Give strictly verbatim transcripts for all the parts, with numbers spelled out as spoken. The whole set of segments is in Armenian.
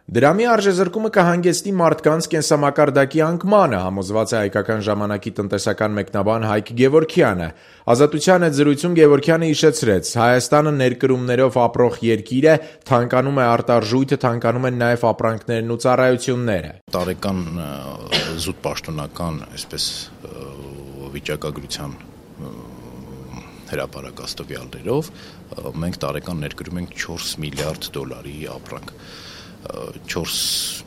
Դրամի արժեզրկումը կհանգեցնի մարդկանց կենսամակարդակի անկմանը, համոզված է Հայկական ժամանակի տնտեսական մեկնաբան Հայկ Գևորգյանը։ Ազատության հետ զրույցում Գևորգյանը հիշեցրեց. Հայաստանը ներկրումներով ապրող երկիր է, թանկանում է արտարժույթը, թանկանում են նաև ապրանքներն ու ծառայությունները։ Տարեկան զուտ պաշտոնական, այսպես վիճակագրության հրապարակաստվյալներով մենք տարեկան ներկրում ենք չորս միլիարդ դոլարի ապրանք։ չորս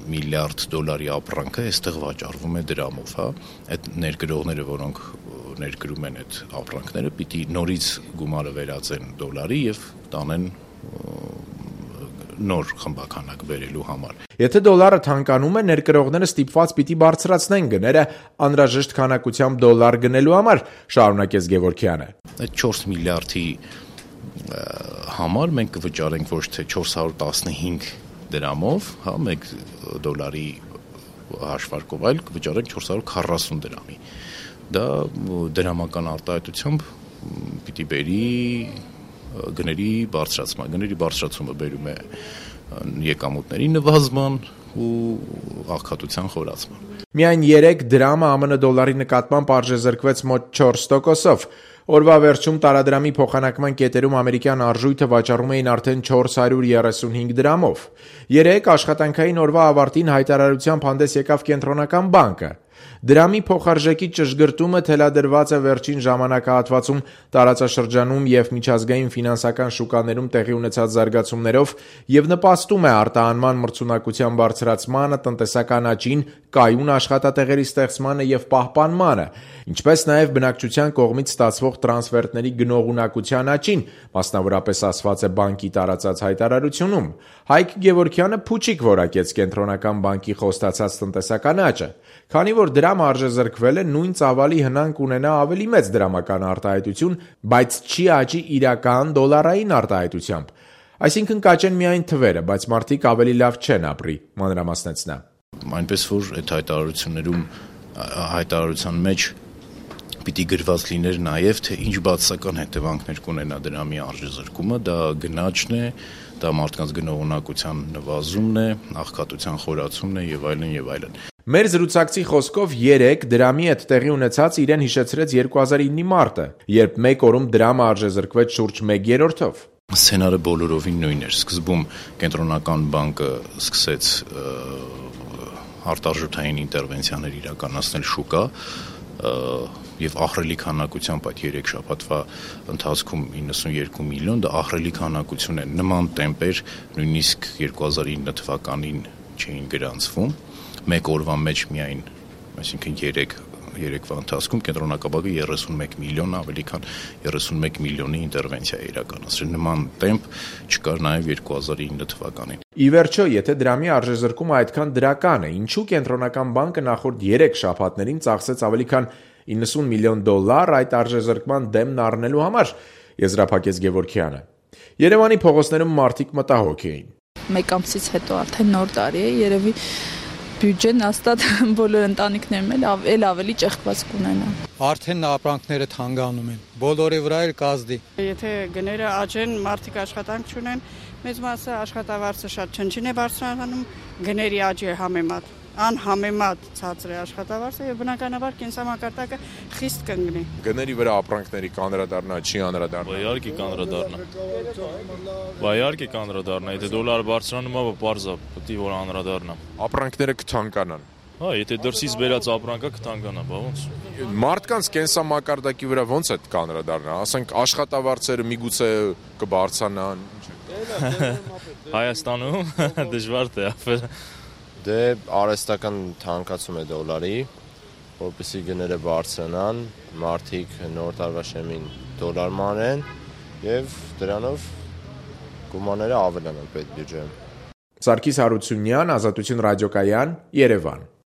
միլիարդ դոլարի ապրանքը այստեղ վաճառվում է դրամով, հա, այդ ներկրողները, որոնք ներկրում են այդ ապրանքները, պիտի նորից գումարը վերածեն դոլարի եւ տանեն նոր խմբականակ բերելու համար։ Եթե դոլարը թանկանում է, ներկրողները ստիպված պիտի բարձրացնեն գները անհրաժեշտ քանակությամբ դոլար գնելու համար, շարունակեց Գևորգյանը։ Այդ չորս միլիարդի համար մենք կվճարենք ոչ թե չորս հարյուր տասնհինգ դրամով, հա, մեկ դոլարի հաշվարկով, այլ կվճարենք չորս հարյուր քառասուն դրամի։ Դա դրամական արտահայտությամբ պիտի բերի գների բարձրացման, գների բարձրացումը բերում է եկամուտների նվազման ու աղքատության խորացման։ Միայն երեք դրամը ԱՄՆ դոլարի նկատմամբ արժեզրկվեց մոտ չորս տոկոսով։ Օրվա վերջում տարադրամի փոխանակման կետերում ամերիկյան արժույթը վաճառում էին արդեն չորս հարյուր երեսունհինգ դրամով։ Երեկ աշխատանքային օրվա ավարտին հայտարարությամբ հանդես եկավ Կենտրոնական բանկը։ Դրամի փոխարժեքի ճշգրտումը թելադրված է վերջին ժամանակահատվածում տարածաշրջանում եւ միջազգային ֆինանսական շուկաներում տեղի ունեցած զարգացումներով եւ նպաստում է արտահանման մրցունակության բարձրացմանը, տնտեսական աճին, կայուն աշխատատեղերի ստեղծմանը եւ պահպանմանը, ինչպես նաեւ բնակչության կողմից ստացվող տրանսֆերտների գնողունակության աճին, մասնավորապես ասված է բանկի տարածած հայտարարությունում։ Հայկ Գևորգյանը փուչիկ որակեց Կենտրոնական բանկի խոստացած տնտեսական աճը, քանի որ դրամը արժեզրկվել է, նույն ծավալի հնանք ունենա ավելի մեծ դրամական արտահայտություն, բայց չի աճի իրական դոլարային արտահայտությամբ։ Այսինքն կաճեն միայն թվերը, բայց մարդիկ ավելի լավ չեն ապրի, մանրամասնեց նա։ Այնպես որ այդ հայտարարություններում հայտարարության մեջ պիտի գրված լիներ նաև, թե ինչ բացասական հետևանքներ կունենա դրամի արժեզրկումը, դա գնաճն է, դա մարդկանց գնողունակության նվազումն է, աղքատության խորացումն է եւ այլն եւ այլն։ Մեր զրուցակցի խոսքով երեք դրամի հետ տեղի ունեցած իրեն հիշեցրեց երկու հազար իննի մարտը, երբ մեկ օրում դրամը արժեզրկվեց շուրջ մեկ երրորդով։ Սցենարը բոլորովին նույնն էր։ Սկզբում Կենտրոնական բանկը սկսեց արտարժութային ինտերվենցիաներ իրականացնել շուկա եւ ահռելի քանակությամբ այդ երեք շաբաթվա ընթացքում իննսունյոթ միլիոն, դա ահռելի քանակություն է, նման տեմպեր նույնիսկ երկու հազար ինը թվականին չէին գրանցվում, մեկ օրվա մեջ միայն, այսինքն երեք երեկվա ընթացքում Կենտրոնական բանկը երեսունմեկ միլիոն, ավելի քան երեսունմեկ միլիոնի ինտերվենցիա է իրականացրել, նման տեմպ չկար նաեւ երկու հազար ինը թվականին։ Ի վերջո, եթե դրամի արժեզրկումը այդքան դրական է, ինչու Կենտրոնական բանկը նախորդ երեք շաբաթներին ծախսեց ավելի քան իննսուն միլիոն դոլար այդ արժեզրկման դեմն առնելու համար, եզրափակեց Գևորգյանը։ Երևանի փողոցներում մարդիկ մտահոգ էին։ Մեկ ամսից հետո արդեն նոր տարի է, երևի բյուջեն հաստատ բոլոր ընտանիքներում էլ ավելի ճեղքված կունենան։ Արդեն ապրանքները թանկանում են, բոլորի վրա էլ կազդի։ Եթե գները աճեն, մարդիկ աշխատանք չունեն, մեծ մասը աշխատավարձը շատ չնչին է բարձրանում, գների աճի համեմատ, անհամեմատ ցածր է աշխատավարձը եւ բնականաբար կենսամակարդակը խիստ կընկնի։ Գների վրա ապրանքների կանրադառնա, չի անդրադառնա։ Իհարկե կանրադառնա։ Բա իհարկե կանրադառնա, եթե դոլարը բարձրանում է, պարզ է, պետք է որ անդրադառնա։ Ապրանքները կթանկանան։ Հա, եթե դրսից բերած ապրանքը կթանկանա, բա ոնց։ Մարդկանց կենսամակարդակի վրա ոնց է կանրադառնա, ասենք աշխատավարձերը միգուցե կբարձրանան։ Հայաստանում դժվար թե ապրել։ Դե արհեստական թանկացում է դոլարի, որպեսզի գները բարձրանան, մարդիկ նոր տարվա շեմին դոլար մանեն եւ դրանով գումարները ավելանան պետբյուջեում։ Սարգիս Հարությունյան, Ազատություն ռադիոկայան, Երևան։